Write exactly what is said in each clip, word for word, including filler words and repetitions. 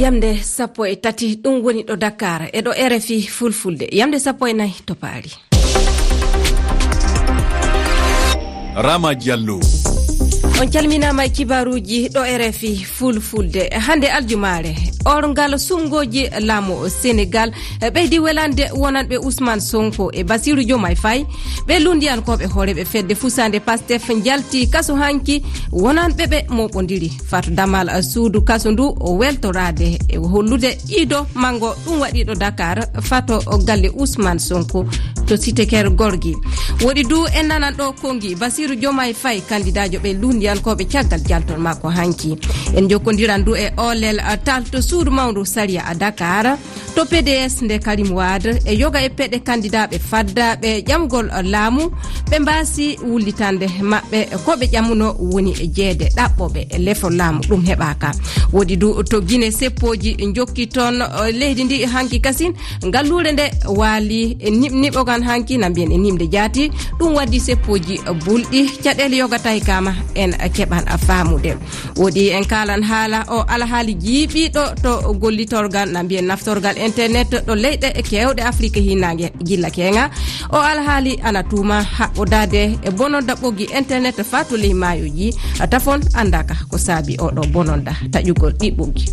Yamde sappo e tati, ɗum woni ɗo Dakar, e ɗo R F I Fulfulde. Yamde sappo e nayi to Paris. Rama Diallo. On calminaama e kibaaruuji ɗo R F I Fulfulde. Hannde aljumaare, orngal suɓngooji laamu Senegal ɓeydi welande wonanɓe Ousmane Sonko e Bassirou Diomaye Faye. Ɓe lunndiyankooɓe hooreeɓe fedde fusaande Pastef njalti kaso hanki, wonanɓe ɓe mooɓondiri. Fato damal suudu kaso ndu o weltoraade e hollude ido mango ɗum waɗiiɗo Dakar fato galle Ousmane Sonko to Cité Keur Gorgui. Woɗi du en nanan ɗo kongi Bassirou Diomaye Faye, kandidaajo ɓe lunndiyankooɓe caggal jaltol makko hanki. En jokkondiran du e olel, a, tal to suudu mawndu sariya a Dakar. To P D S nde Karim Wade e yoga e peɗe kandidaaɓe faddaaɓe ƴamgol laamu, ɓe mbaasi wullitande maɓɓe ko ɓe ƴamuno woni jeede ɗaɓɓoɓe lefol laamu, ɗum heɓaaka. Woɗi du to Guinée seppooji jokki toon, eh, leydi ndi hanki kasin, ngalluure nde waali e niɓ-, niɓogan hanki na mbiyen e nimde jaati, ɗum waddi seppooji bulɗi, caɗeele yoga tawi kama en keɓan faamude. Woɗi en kaalan haala o alhaali jiiɓiiɗo to gollitorgal, na mbiyen naftorgal internet ɗo leyɗe keewɗe Afrique hinnange jilla keenga. O alhaali ana tuuma haɓɓodaade e bononda ɓoggi internet faa to ley maayoji. Tafon anndaka ko saabi oɗo bononda taƴugol ɗi ɓoggi.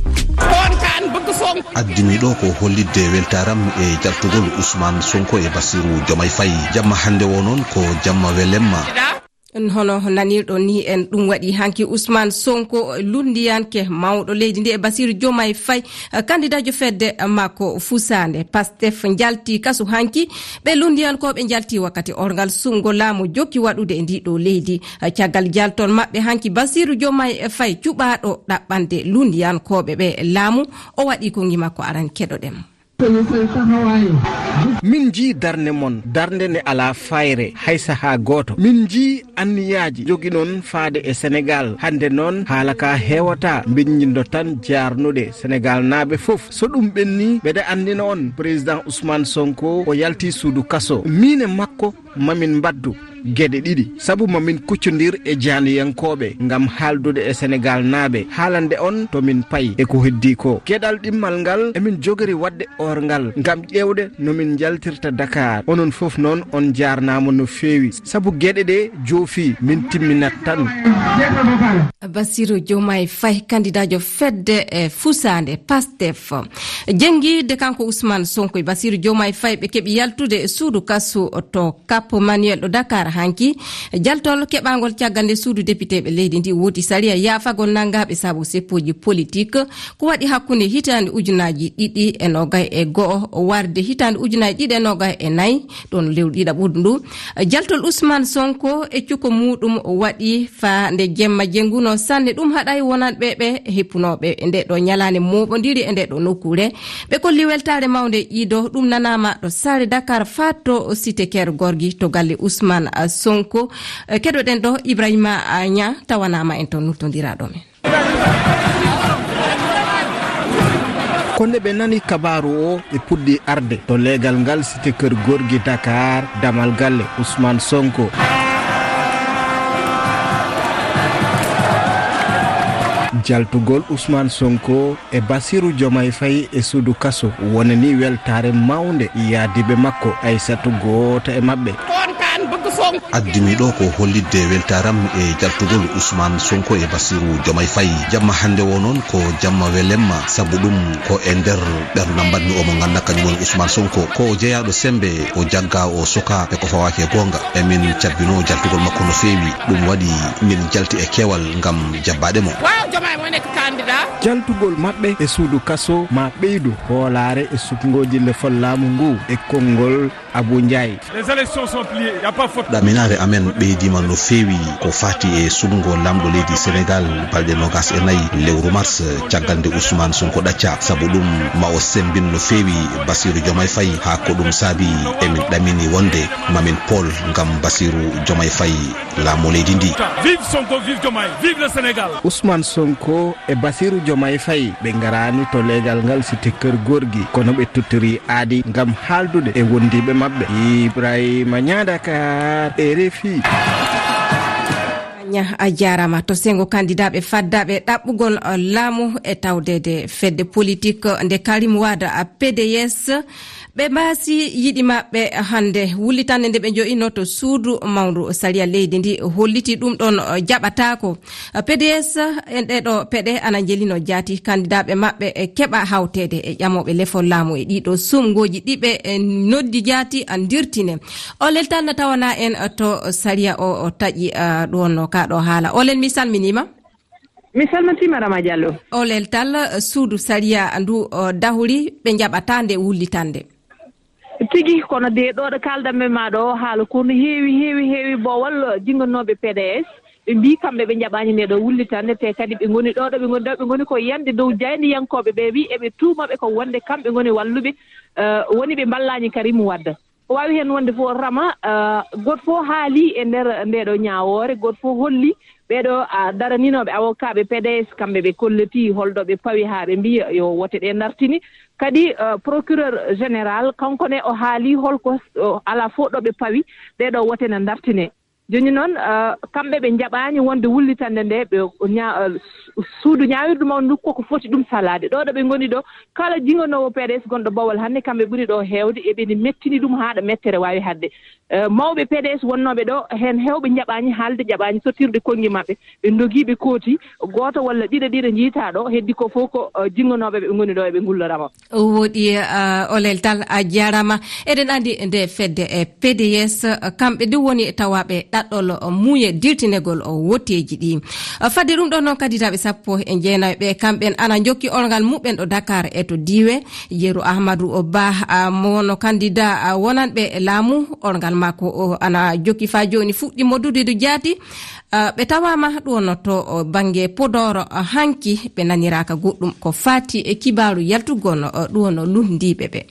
Addimi ɗo ko hollitde weltaaram e jaltugol Ousmane Sonko e Bassirou Diomaye Faye. Jamma hannde o noon ko jamma welemma. Hono nanirɗon ni, en ɗum waɗi hanki Ousmane Sonko, lunndiyanke mawɗo leydi ndi, e Bassirou Diomaye Faye, kandidaajo fedde makko fusaande Pastef, njalti kasu hanki. Ɓe lunndiyankooɓe njalti wakkati orngal suɓngo laamu jokki waɗude e ndi ɗo leydi. Caggal jaltol maɓɓe hanki, Bassirou Diomaye Faye, cuɓaaɗo ɗaɓɓande lunndiyankooɓe ɓe laamu, o waɗi kongi makko aran, keɗoɗen mo. Min njii darnde mon, darnde nde alaa fayre hay sahaa gooto. Min njii anniyaaji jogiɗon faade e Senegaal. Hannde noon, haala ka heewataa, mbinndindo tan jaarnude Senegaalnaaɓe fof. So ɗum ɓenni, mbeɗa anndina on, Président Ousmane Sonko o yalti suudu kaso. Miin e makko, mamin mbaɗdu geɗe ɗiɗi, sabu mamin kuccondir e jaaniyankooɓe ngam haaldude e Senegaalnaaɓe, haalande on to min payi e ko heddii ko. Geɗal ɗimmal ngal emin jogori waɗde orngal ngam ƴeewde no min njaltirta Dakar. Onon fof noon on njaarnaama no feewi, sabu geɗe ɗe joofi min timminat tan. Bassirou Diomaye Faye, kandidaajo fedde e fusaande Pastef. Jenngiide kanko Ousmane Sonko e Bassirou Diomaye Faye ɓe keɓi yaltude e suudu kasu to Cap Manuel ɗo Dakar hanki. Jaltol keɓaangol caggal nde suudu depiteeɓe leydi ndi wooti sariya yaafagol nanngaaɓe sabu seppooji politik ko waɗi hakkunde hitaande ujunaaji ɗiɗi e noogay e go'o warde hitaande ujunaaji ɗiɗi e noogay e nayi, ɗon lewru ɗiɗaɓuru ndu. Jaltol Ousmane Sonko e cukko muuɗum waɗi faa nde jemma jennguno sanne. Ɗum haɗay wonanɓe ɓe heppunooɓe e nde ɗo ñalaande mooɓondiri e nde ɗo nokkuure. Ɓe kolli weltaare mawnde ido ɗum nanaama ɗo saare Dakar faa to Cité Keur Gorgui to galle Ousmane Sonko. Keɗoɗen ɗo Ibrahima Niang tawanaama en to nultondiraaɗo men. Ko nde ɓe nani kabaaru o, ɓe puɗɗi arde to leegal ngal Cité Keur Gorgui Dakar, damal galle Ousmane Sonko. Jaltugol Ousmane Sonko e Bassirou Diomaye Faye e suudu kaso wonani weltaare mawnde yaadiiɓe makko, Aissatou gooto e maɓɓe. Addimi ɗo ko hollitde weltaaram e jaltugol Ousmane Sonko e Bassirou Diomaye Faye. Jamma hannde o noon ko jamma welemma, sabu ɗum ko e nder ɓernda mbaɗmi o mo ngannduɗaa kañum woni Ousmane Sonko. Ko o jeyaaɗo semmbe, o jagga, o suka e ko fawaaki e goonga. Emin cabbinoo jaltugol makko no feewi. Ɗum waɗi min njalti e keewal ngam jabbaade mo. Waaw, Diomaye moo nekk candidat. Jaltugol maɓɓe e suudu kaso ma ɓeydu hoolaare e suɓngooji lefol laamu ngu e konngol Abou Ndiaye. Les élections sont pliées, y a pas photo. Ɗaminaare amen ɓeydiima no feewi ko faati e suɓngo laamɗo leydi Senegaal balɗe noogaas e nayi lewru mars, caggal nde Ousmane Sonko ɗacca. Sabu ɗum, ma o semmbin no feewi Bassirou Diomaye Faye, haa ko ɗum saabi emin ɗamini wonde ma min pool ngam Bassirou Diomaye Faye laamu leydi ndi. Vive Sonko, vive Diomaye, vive le Sénégal. Ousmane Sonko e Bassirou Diomaye Faye ɓe ngaraani to leegal ngal Cité Keur Gorgui, kono ɓe tottori aadi ngam haaldude e wondiiɓe maɓɓe. Ibrahima Niang, Dakar, R F I. Ña, a jaaraama. To senngo kandidaaɓe faddaaɓe ɗaɓɓugol, uh, laamu e tawdeede fedde politik nde Karim Wade, uh, P D S, ɓe mbaasi yiɗi maɓɓe hannde. Wullitannde nde ɓe njo'ino to suudu mawndu sariya leydi ndi holliti ɗum ɗon, uh, jaɓataako. Uh, P D S en ɗee ɗo peɗe ana njelino jaati kandidaaɓe maɓɓe e keɓa hawteede e ƴamooɓe lefol laamu e ɗii ɗo sumngooji ɗi ɓe, eh, noddi jaati a ndirtine. Olel Tall na tawana en, eh, to sariya o, o taƴi, eh, ɗo wonno ka ɗo haala. Olel, mi salminiima. Mi salmitiima, Rama Diallo. Olel Tall, eh, suudu sariya ndu, eh, dahuri ɓe njaɓata nde wullitande. Tigi, kono de ɗo ɗo kaldanmi ma ɗo haala ko no heewi, heewi, heewi bowal, eh, jinngannooɓe P D S. Ɓe mbii kamɓe ɓe njaɓaani nde ɗo wullitande, te kadi ɓe ngoni ɗo, ɗo ɓe ngoni ɗo, ɓe ngoni ko yande dow jaayndiyankooɓe ɓe, wi eɓe tuuma ɓe ko wonde kamɓe ngoni walluɓe, eh, woni ɓe mballaani Karim Wade. Ko waawi heen wonde fof, Rama, eh, gooto fof haali e nder nde ɗo ñaawoore, gooto fof holli ɓee ɗo, ah, daraninooɓe awokaaɓe P D S, kamɓe ɓe kolliti holɗo ɓe pawi haa ɓe mbiya yo wote ɗe ndartini. Kadi, eh, procureur général, kanko ne o haali holko, o, alaa fof ɗo ɓe pawi ɗee ɗo wote na ndartine. Jooni noon, eh, kamɓe ɓe njaɓaani wonde wullitande nde, ɓe ña-, eh, su-, suudu ñaawirdu mawndu ndu koko foti ɗum salaade. Ɗo ɗo ɓe ngoni ɗo, kala jinngannoowo P D S gonɗo Bawol hannde, kamɓe ɓuri ɗo heewde, eɓe ne mettini ɗum haa ɗo mettere waawi haɗde. Eh, mawɓe P D S wonnooɓe ɗo, heen heewɓe njaɓaani haalde, njaɓaani sottirde konngi maɓɓe. Ɓe ndogii, ɓe kooti, gooto walla ɗiɗo, ɗiɗo njiytaa ɗo, heddi ko fof ko, eh, jinngannooɓe ɓe ngoni ɗo, eɓe ngullorama. O woɗi, eh, Olel Tall, a jaaraama. Eɗen anndi nde fedde e P D S, eh, kamɓe nde woni tawaaɓe ɗaɗɗol, eh, muuye dirtinegol, eh, wotteeji ɗi. Eh, fadde ɗum ɗo noon, kandidaaɓe sappo e jeenayo ɓe, kamɓen ana njokki orngal muɓɓen ɗo Dakar e to Diiwe. Yeru Ahmadu Ba, ah, mo wonno kandidaa, ah, wonanɓe laamu, orngal makko o ana jokki faa jooni fuɗɗi moddude ɗo jaati. Ah, ɓe tawaama ɗo no to, oh, bannge Podor, ah, hanki ɓe naniraaka goɗɗum ko faati e kibaaru yaltugol, oh, ɗo no lunndiiɓe ɓe.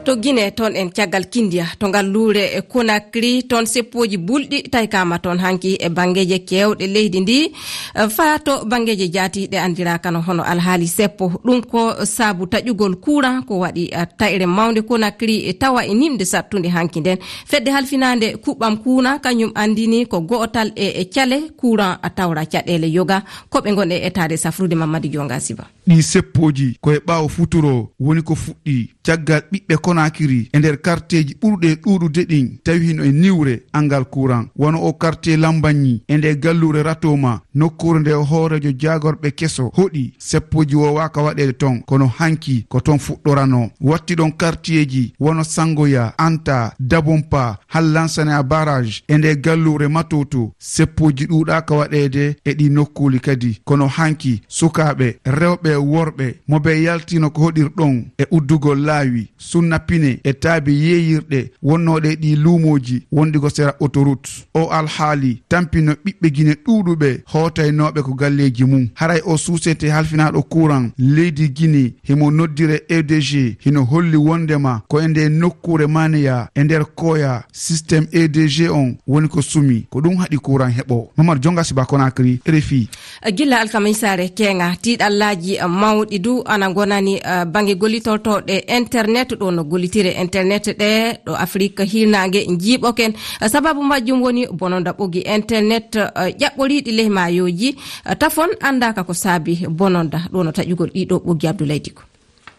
To Gine, toon en caggal Kindiya, to ngalluure e Conakry, toon seppooji bulɗi taykaama toon hanki e banngeeje keewɗe leydi ndi, eh, faa to banngeeje jaati ɗe anndiraaka no hono alhaali seppo. Ɗum ko saabu taƴugol kuuran ko waɗi, eh, taƴre mawnde Conakry, eh, tawa e nimde sattunde hanki nden. Fedde halfinaande kuɓɓam kuuran kañum anndini ko go'otal e, e cale kuuran a tawra caɗeele yoga ko ɓe ngon e etaade safrude Mamadi Jonga Siba. Ɗii seppooji ko e ɓaawo futuro woni ko fuɗɗii, caggal ɓiɓɓe Konakiri e nder karteeji ɓurɗe ɗuuɗude ɗin tawi hino e niwre anngal kuuran, wano o kartee Lambañi e nde galluure Ratoma, nokkuure nde o hooreejo jaagorɓe keso hoɗi, seppooji woowaaka waɗeede ton, kono hanki ko ton fuɗɗoranoo. Watti ɗon kartiyeeji wano Sangoya, Anta, Dabompa, Hallansane a barrage e nde galluure Matoto, seppooji ɗuuɗaaka waɗeede e ɗi nokkuuli kadi. Kono hanki, sukaaɓe, rewɓe e worɓe, mo ɓe yaltino ko hoɗir ɗon e uddugol laawi, sunna pine e taabe yeeyirɗe wonnooɗe e ɗi luumooji wonɗi ko sera autoroute. O alhaali tampino ɓiɓɓe Gine ɗuuɗuɓe hootaynooɓe ko galleeji mum. Haray o suusete halfinaaɗo kuuran leydi Gine himo noddire E D G hino holli wonndema ko e nde nokkuure Maneya e nder Koya système E D G on woni ko sumi. Ko ɗum haɗi kuuran heɓo. Momar Jonga Siba, Conakry, R F I. Gilla alkamisaare keeŋa, tiiɗallaaji mawɗi du ana ngonani, eh, bannge gollitortooɗe internet, ɗo no gollitire internet ɗe ɗo Afrik hiirnaange njiiɓoken. Eh, sababu majjum woni bononda ɓoggi internet, eh, ƴaɓɓoriiɗi ley maayooji, eh, tafon anndaaka ko saabi bononda, ɗo no taƴugol ɗii ɗo ɓoggi. Abdoulaye Diko.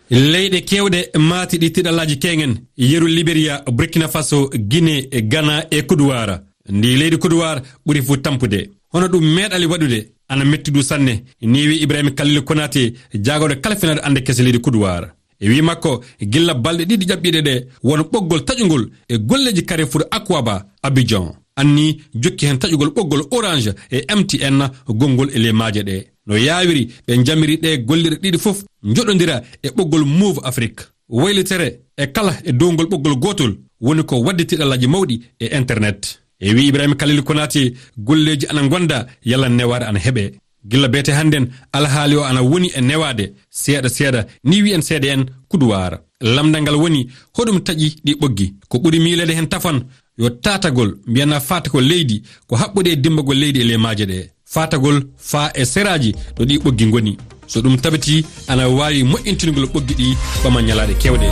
Leyɗe keewɗe maati ɗi tiiɗallaaji keeŋen, yeru Liberia, Burkina Faso, Guinée, Ghana e Côte d'Ivoire. Ndi leydi Côte d'Ivoire ɓuri fuu tampude. Hono ɗum meeɗali waɗude, ana metti du sanne, ni wi Ibrahim Khalil Konate, jaagorɗo kalfinaaɗo annde kese leydi Côte d'Ivoire. E wi makko, gilla balɗe ɗiɗi ƴaɓɓiiɗe ɗe, won ɓoggol taƴungol e golleeji Carrefour Akwaba, Abidjan. Anni jokki hen taƴugol ɓoggol Orange e M T N gonngol e ley maaje ɗe. No yaawiri, ɓe njamiri ɗe gollirɗe ɗiɗi fof njoɗondira e ɓoggol Move Afrique. Waylitere e kala e dow ngol ɓoggol gootol woni ko waɗde tiiɗallaaji mawɗi e internet. E wi Ibrahim Khalil Konate, golleeji ana ngonda, yalla newaare ana heɓe. Gilla beete hannden, alhaali o ana woni e newaade, seeɗa seeɗa, ni wiyen seeɗa en Côte d'Ivoire. Lamndal ngal woni, hoɗum taƴi ɗi ɓoggi? Ko ɓuri miileede hen tafon, yo taatagol, mbiyana faata ko leydi, ko haɓɓude e dimmbagol leydi e ley maaje ɗe. Faatagol faa e seraaji ɗo ɗi ɓoggi ngoni. So ɗum tabitii, ana waawi moƴƴintingol ɓoggi ɗi ɓama ñalaaɗe keewɗe.